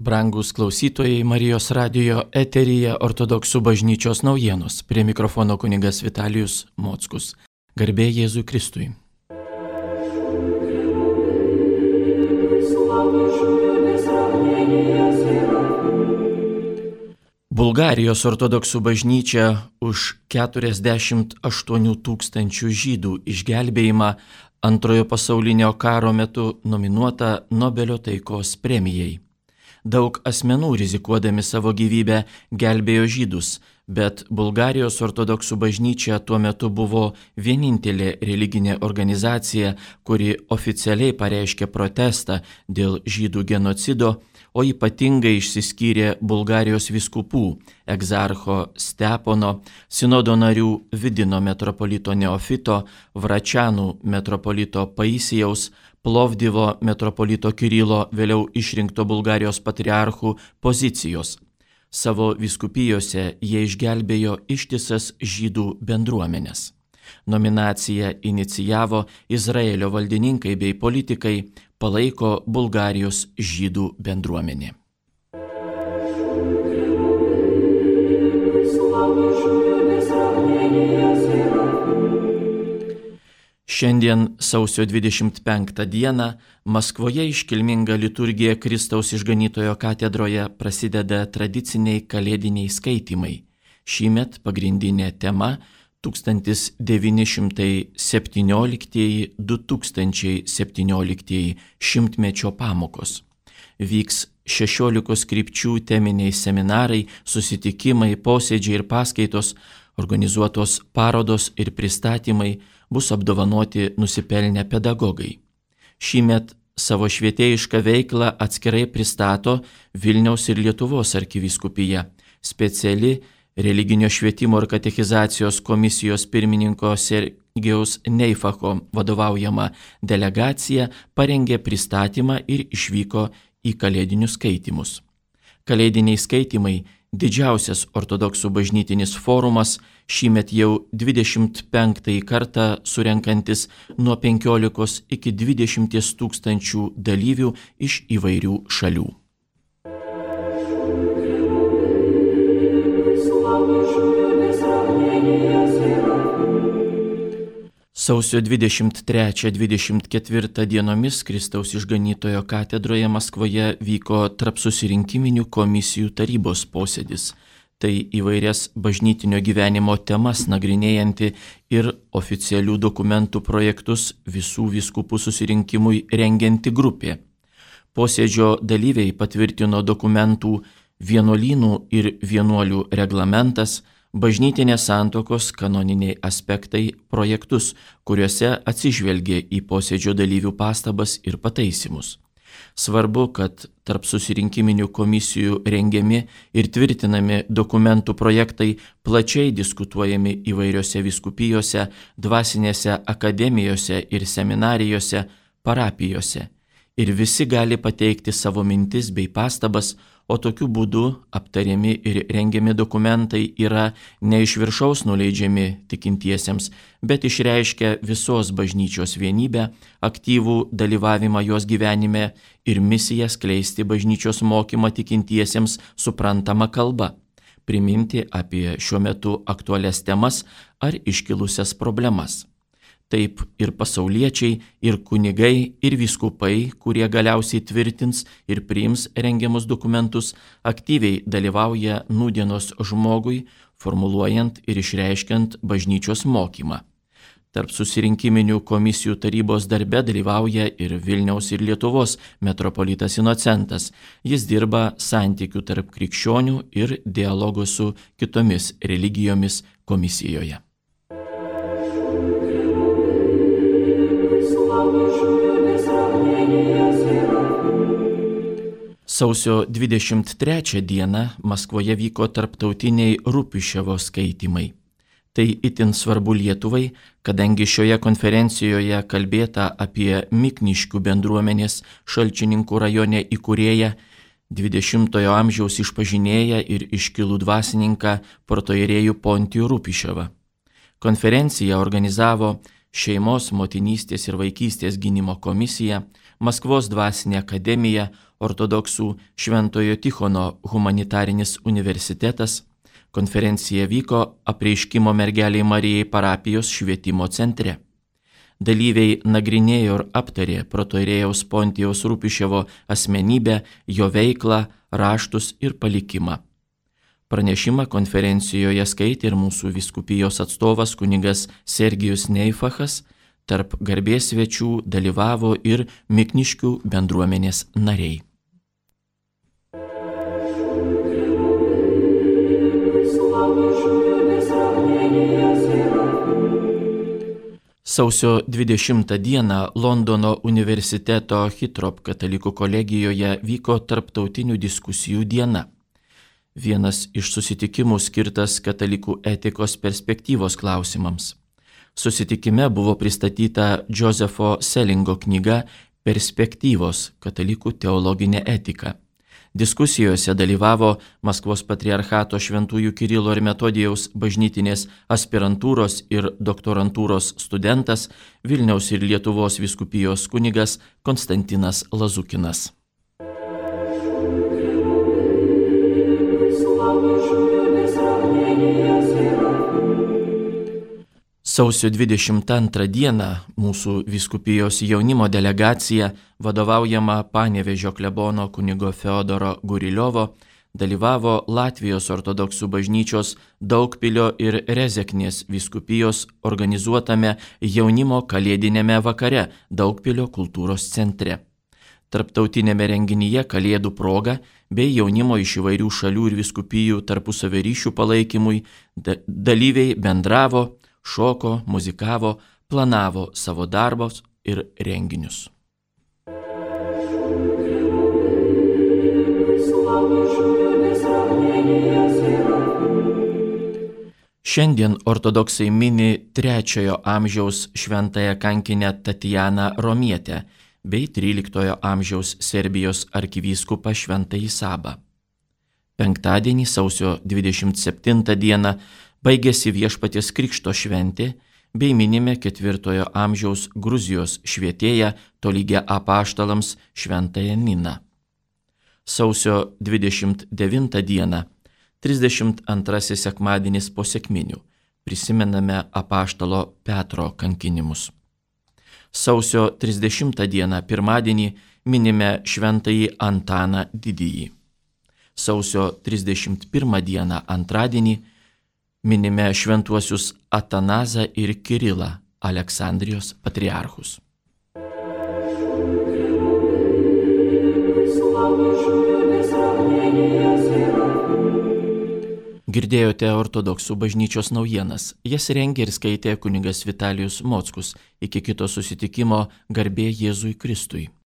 Brangūs klausytojai, Marijos radijo eteryje Ortodoksų bažnyčios naujienos. Prie mikrofono kunigas Vitalijus Mockus. Garbė Jėzui Kristui. Bulgarijos ortodoksų bažnyčia už 48 tūkstančių žydų išgelbėjimą Antrojo pasaulinio karo metu nominuota Nobelio taikos premijai. Daug asmenų rizikuodami savo gyvybę gelbėjo žydus, bet Bulgarijos ortodoksų bažnyčia tuo metu buvo vienintelė religinė organizacija, kuri oficialiai pareiškė protestą dėl žydų genocido, o ypatingai išsiskyrė Bulgarijos vyskupų egzarcho Stepono, sinodo narių Vidino metropolito Neofito, Vračianų metropolito Paisijaus, Plovdivo metropolito Kirilo, vėliau išrinkto Bulgarijos patriarchų pozicijos. Savo vyskupijose jie išgelbėjo ištisas žydų bendruomenės. Nominaciją inicijavo Izraelio valdininkai bei politikai, palaiko Bulgarijos žydų bendruomenė. Šiandien sausio 25 dieną Maskvoje iškilminga liturgija Kristaus išganytojo katedroje prasideda tradiciniai kalėdiniai skaitymai. Šįmet pagrindinė tema 1917-2017 šimtmečio pamokos. Vyks 16 krypčių teminiai seminarai, susitikimai, posėdžiai ir paskaitos, organizuotos parodos ir pristatymai, bus apdovanoti nusipelnę pedagogai. Šįmet savo švietėjišką veiklą atskirai pristato Vilniaus ir Lietuvos arkivyskupija, speciali religinio švietimo ir katechizacijos komisijos pirmininko Sergejaus Neifacho vadovaujama delegacija parengė pristatymą ir išvyko į kalėdinius skaitymus. Kalėdiniai skaitymai – didžiausias ortodoksų bažnytinis forumas, šįmet jau 25 kartą surenkantis nuo 15 iki 20 tūkstančių dalyvių iš įvairių šalių. Sausio 23-24 dienomis Kristaus išganytojo katedroje Maskvoje vyko tarpsusirinkiminių komisijų tarybos posėdis. Tai įvairias bažnytinio gyvenimo temas nagrinėjanti ir oficialių dokumentų projektus visų vyskupų susirinkimui rengianti grupė. Posėdžio dalyviai patvirtino dokumentų vienuolynų ir vienuolių reglamentas, bažnytinės santuokos kanoniniai aspektai projektus, kuriuose atsižvelgė į posėdžio dalyvių pastabas ir pataisymus. Svarbu, kad tarp susirinkiminių komisijų rengiami ir tvirtinami dokumentų projektai plačiai diskutuojami įvairiose vyskupijose, dvasinėse akademijose ir seminarijose, parapijose. Ir visi gali pateikti savo mintis bei pastabas, o tokiu būdu aptariami ir rengiami dokumentai yra ne iš viršaus nuleidžiami tikintiesiems, bet išreiškia visos bažnyčios vienybę, aktyvų dalyvavimą jos gyvenime ir misiją skleisti bažnyčios mokymą tikintiesiems suprantama kalba, priminti apie šiuo metu aktualias temas ar iškilusias problemas. Taip ir pasauliečiai, ir kunigai, ir vyskupai, kurie galiausiai tvirtins ir priims rengiamus dokumentus, aktyviai dalyvauja nūdienos žmogui, formuluojant ir išreiškiant bažnyčios mokymą. Tarp susirinkiminių komisijų tarybos darbe dalyvauja ir Vilniaus ir Lietuvos metropolitas Inocentas. Jis dirba santykių tarp krikščionių ir dialogo su kitomis religijomis komisijoje. Sausio 23 dieną Maskvoje vyko tarptautiniai Rupiševo skaitymai. Tai itin svarbu Lietuvai, kadangi šioje konferencijoje kalbėta apie Mikniškių bendruomenės Šalčininkų rajone įkūrėją, 20-ojo amžiaus išpažinėją ir iškilų dvasininką protoierėjų Pontijų Rupiševą. Konferenciją organizavo Šeimos, motinystės ir vaikystės gynimo komisija, Maskvos dvasinė akademija, ortodoksų Šventojo Tichono humanitarinis universitetas. Konferencija vyko Apreiškimo mergeliai Marijai parapijos švietimo centre. Dalyviai nagrinėjo ir aptarė protoirėjaus Pontijaus Rupiševo asmenybę, jo veiklą, raštus ir palikimą. Pranešimą konferencijoje skaitė ir mūsų vyskupijos atstovas kunigas Sergijus Neifachas, tarp garbės svečių dalyvavo ir Mikniškių bendruomenės nariai. Sausio 20 dieną Londono universiteto Hitrop katalikų kolegijoje vyko tarptautinių diskusijų diena. Vienas iš susitikimų skirtas katalikų etikos perspektyvos klausimams. Susitikime buvo pristatyta Josepho Selingo knyga Perspektyvos – katalikų teologinė etika. Diskusijose dalyvavo Maskvos patriarchato Šventųjų Kirilo ir Metodijaus bažnytinės aspirantūros ir doktorantūros studentas, Vilniaus ir Lietuvos vyskupijos kunigas Konstantinas Lazukinas. Sausio 22 dieną mūsų vyskupijos jaunimo delegacija, vadovaujama Panevėžio klebono kunigo Feodoro Guriliovo, dalyvavo Latvijos ortodoksų bažnyčios Daugpilio ir Rezeknės vyskupijos organizuotame jaunimo kalėdinėme vakare Daugpilio kultūros centre. Tarptautinėme renginyje Kalėdų proga bei jaunimo iš įvairių šalių ir vyskupijų tarpusavio ryšių palaikymui dalyviai bendravo, šoko, muzikavo, planavo savo darbus ir renginius. Šiandien ortodoksai mini 3 amžiaus šventąją kankinę Tatjaną Romietę bei 13 amžiaus Serbijos arkivyskupą Šventąjį Sabą. Penktadienį, sausio 27 dieną, baigėsi Viešpaties Krikšto šventė bei minime 4 amžiaus Gruzijos švietėją tolygią apaštalams Šventąją Niną. Sausio 29 dieną, 32 sekmadienis po sekminių, prisimename apaštalo Petro kankinimus. Sausio 30 dieną, pirmadienį, minime Šventąjį Antaną Didįjį. Sausio 31 dieną, antradienį, minime šventuosius Atanazą ir Kirilą, Aleksandrijos patriarchus. Girdėjote ortodoksų bažnyčios naujienas. Jas rengė ir skaitė kunigas Vitalijus Mockus. Iki kito susitikimo, garbė Jėzui Kristui.